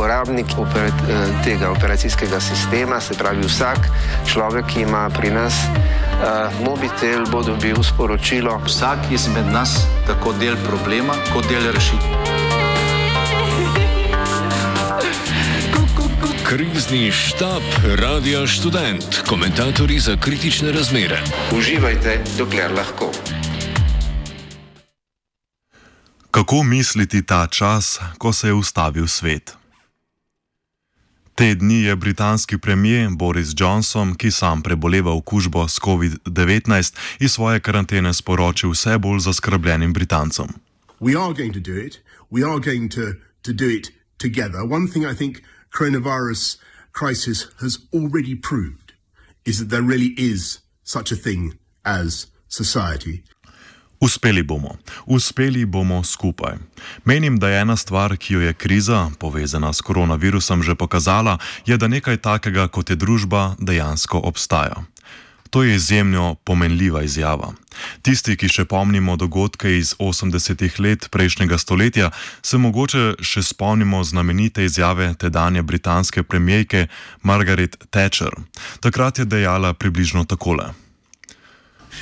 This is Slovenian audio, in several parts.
uporabnik tega operacijskega sistema, se pravi vsak človek, ki ima pri nas mobitel, bo dobil sporočilo. Vsak izmed nas tako del problema, kot del rešitve. Krizni štab Radia Študent. Komentatorji za kritične razmere. Uživajte, dokler lahko. Kako misliti ta čas, ko se je ustavil svet? Te dni je britanski premier Boris Johnson, ki sam preboleva okužbo s COVID-19, iz svoje karantene sporočil vse bolj zaskrbljenim Britancem. We are going to do it. We are going to do it together. One thing I think coronavirus crisis has already proved is that there really is such a thing as society. Uspeli bomo skupaj. Menim, da je ena stvar, ki jo je kriza, povezana s koronavirusom, že pokazala, je, da nekaj takega, kot je družba, dejansko obstaja. To je izjemno pomenljiva izjava. Tisti, ki še pomnimo dogodke iz 80-ih let prejšnjega stoletja, se mogoče še spomnimo znamenite izjave tedanje britanske premierke Margaret Thatcher. Takrat je dejala približno takole.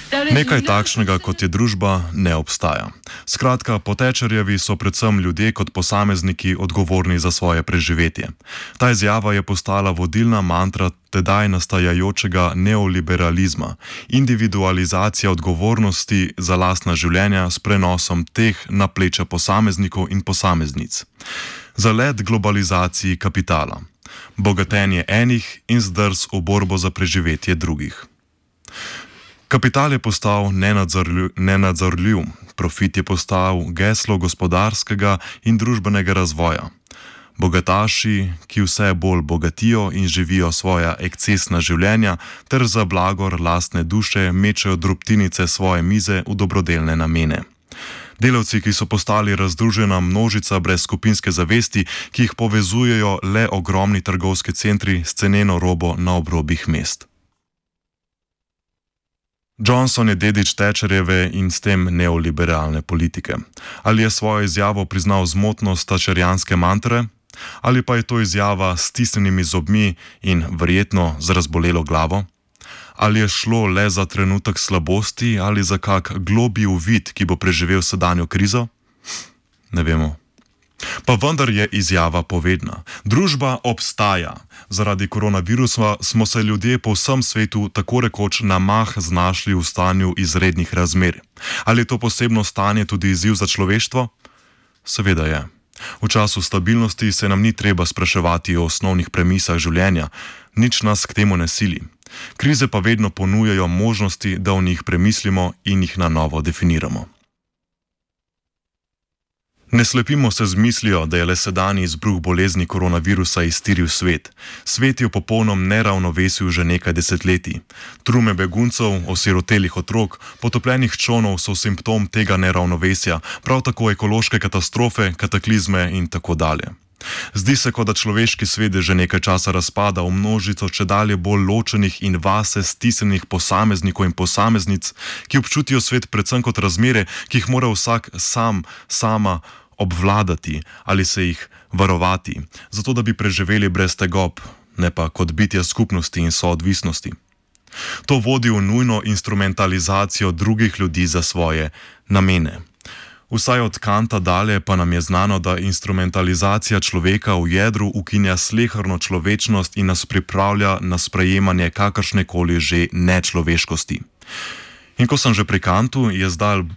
Nekaj takšnega, kot je družba, ne obstaja. Skratka, po Thatcherjevi so predvsem ljudje kot posamezniki odgovorni za svoje preživetje. Ta izjava je postala vodilna mantra tedaj nastajajočega neoliberalizma, individualizacija odgovornosti za lastna življenja s prenosom teh na pleča posameznikov in posameznic. Zalet globalizaciji kapitala, bogatenje enih in zdrs v borbo za preživetje drugih. Kapital je postal nenadzorljiv, profit je postal geslo gospodarskega in družbenega razvoja. Bogataši, ki vse bolj bogatijo in živijo svoja ekscesna življenja, ter za blagor lastne duše mečejo drobtinice svoje mize v dobrodelne namene. Delavci, ki so postali razdružena množica brez skupinske zavesti, ki jih povezujejo le ogromni trgovski centri s ceneno robo na obrobjih mest. Johnson je dedič Thatcherjeve in s tem neoliberalne politike. Ali je svojo izjavo priznal zmotnost thatcherjanske mantre? Ali pa je to izjava s stisnjenimi zobmi in verjetno z razbolelo glavo? Ali je šlo le za trenutek slabosti ali za kak globlji uvid, ki bo preživel sedanjo krizo? Ne vemo. Pa vendar je izjava povedna. Družba obstaja. Zaradi koronavirusa smo se ljudje po vsem svetu tako rekoč na mah znašli v stanju izrednih razmer. Ali je to posebno stanje tudi izziv za človeštvo? Seveda je. V času stabilnosti se nam ni treba spraševati o osnovnih premisah življenja, nič nas k temu ne sili. Krize pa vedno ponujajo možnosti, da o njih premislimo in jih na novo definiramo. Ne slepimo se z mislijo, da je le sedanji izbruh bolezni koronavirusa iztiril svet. Svet je v popolnom neravnovesju že nekaj desetletij. Trume beguncev, osirotelih otrok, potopljenih čolnov so simptom tega neravnovesja, prav tako ekološke katastrofe, kataklizme in tako dalje. Zdi se, kot da človeški svet že nekaj časa razpada v množico čedalje bolj ločenih in vase stisnjenih posameznikov in posameznic, ki občutijo svet predvsem kot razmere, ki jih mora vsak sama obvladati ali se jih varovati, zato da bi preživeli brez tegob, ne pa kot bitja skupnosti in soodvisnosti. To vodi v nujno instrumentalizacijo drugih ljudi za svoje namene. Vsaj od Kanta dalje pa nam je znano, da instrumentalizacija človeka v jedru ukinja sleherno človečnost in nas pripravlja na sprejemanje kakršnekoli že nečloveškosti. In ko sem že pri Kantu, je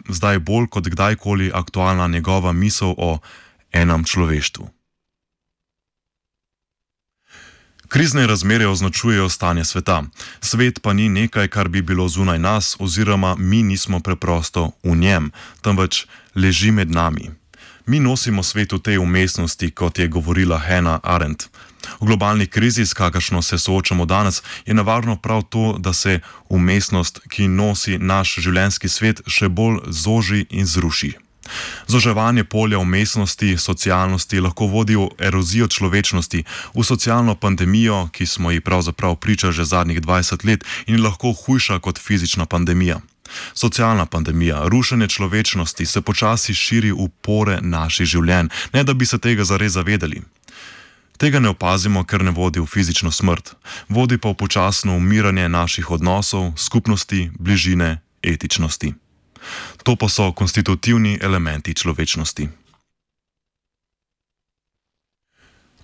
zdaj bolj kot kdajkoli aktualna njegova misel o enem človeštvu. Krizne razmere označujejo stanje sveta. Svet pa ni nekaj, kar bi bilo zunaj nas, oziroma mi nismo preprosto v njem, temveč leži med nami. Mi nosimo svet v tej umestnosti, kot je govorila Hannah Arendt. V globalni krizi, s kakršno se soočamo danes, je nevarno prav to, da se umestnost, ki nosi naš življenjski svet, še bolj zoži in zruši. Zoževanje polja umestnosti, socialnosti lahko vodi v erozijo človečnosti, v socialno pandemijo, ki smo ji pravzaprav priča že zadnjih 20 let in lahko hujša kot fizična pandemija. Socialna pandemija, rušenje človečnosti se počasi širi v pore naših življenj, ne da bi se tega zares zavedali. Tega ne opazimo, ker ne vodi v fizično smrt, vodi pa v počasno umiranje naših odnosov, skupnosti, bližine, etičnosti. To pa so konstitutivni elementi človečnosti.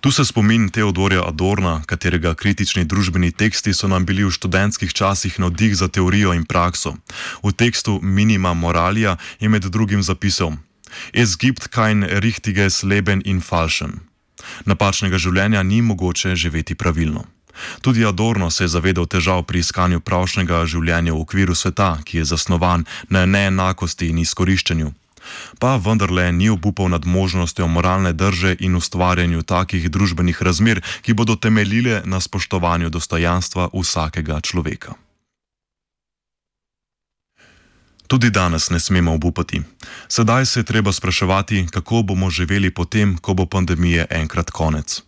Tu se spomin Teodorja Adorna, katerega kritični družbeni teksti so nam bili v študentskih časih navdih za teorijo in prakso. V tekstu Minima Moralia je med drugim zapisal: Es gibt kein richtiges Leben in falschen. Napačnega življenja ni mogoče živeti pravilno. Tudi Adorno se je zavedal težav pri iskanju pravšnega življenja v okviru sveta, ki je zasnovan na neenakosti in izkoriščanju. Pa vendarle ni obupal nad možnostjo moralne drže in ustvarjanju takih družbenih razmer, ki bodo temeljile na spoštovanju dostojanstva vsakega človeka. Tudi danes ne smemo obupati. Sedaj se je treba spraševati, kako bomo živeli potem, ko bo pandemije enkrat konec.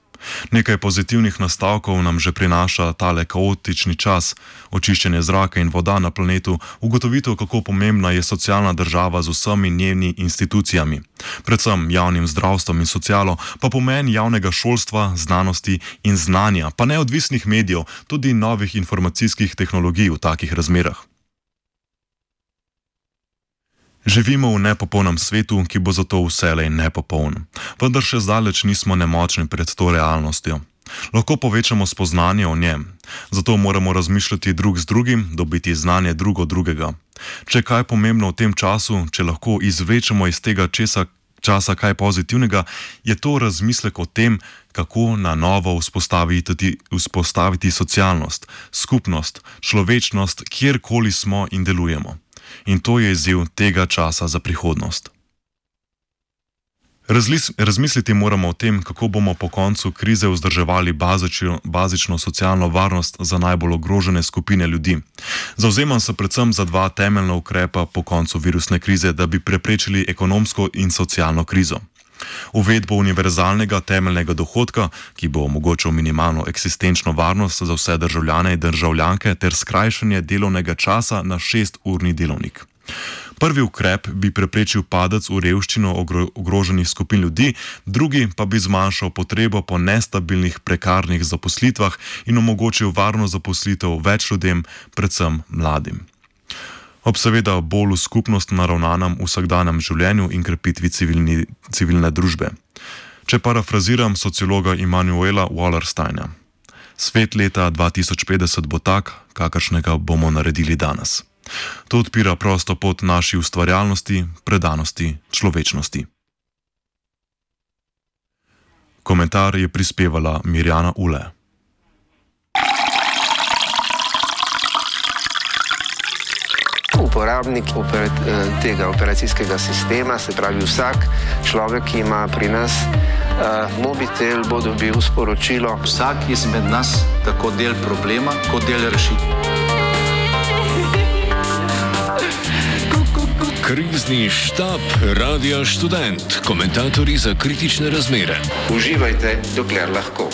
Nekaj pozitivnih nastavkov nam že prinaša tale kaotični čas, očiščenje zraka in voda na planetu, ugotovitev, kako pomembna je socialna država z vsemi njenimi institucijami, predvsem javnim zdravstvom in socialo, pa pomen javnega šolstva, znanosti in znanja, pa neodvisnih medijev, tudi novih informacijskih tehnologij v takih razmerah. Živimo v nepopolnem svetu, ki bo zato vselej nepopoln, vendar še zdaleč nismo nemočni pred to realnostjo. Lahko povečamo spoznanje o njem, zato moramo razmišljati drug z drugim, dobiti znanje drug od drugega. Če kaj pomembno v tem času, če lahko izvlečemo iz tega časa kaj pozitivnega, je to razmislek o tem, kako na novo vzpostaviti socialnost, skupnost, človečnost, kjerkoli smo in delujemo. In to je izziv tega časa za prihodnost. Razmisliti moramo o tem, kako bomo po koncu krize vzdrževali bazično socialno varnost za najbolj ogrožene skupine ljudi. Zavzemam se predvsem za dva temeljna ukrepa po koncu virusne krize, da bi preprečili ekonomsko in socialno krizo. Uvedbo univerzalnega temeljnega dohodka, ki bo omogočil minimalno eksistenčno varnost za vse državljane in državljanke, ter skrajšanje delovnega časa na 6-urni delovnik. Prvi ukrep bi preprečil padec v revščino ogroženih skupin ljudi, drugi pa bi zmanjšal potrebo po nestabilnih prekarnih zaposlitvah in omogočil varno zaposlitev več ljudem, predvsem mladim. Ob seveda bolj v skupnost naravnanem vsakdanjem življenju in krepitvi civilne družbe. Če parafraziram sociologa Immanuela Wallersteina: svet leta 2050 bo tak, kakršnega bomo naredili danes. To odpira prosto pot naši ustvarjalnosti, predanosti, človečnosti. Komentar je prispevala Mirjana Ule. Uporabnik tega operacijskega sistema, se pravi vsak človek, ki ima pri nas mobitel, bo dobil sporočilo. Vsak izmed nas tako del problema, kot del rešitve. Krizni štab Radia Študent. Komentatorji za kritične razmere. Uživajte, dokler lahko.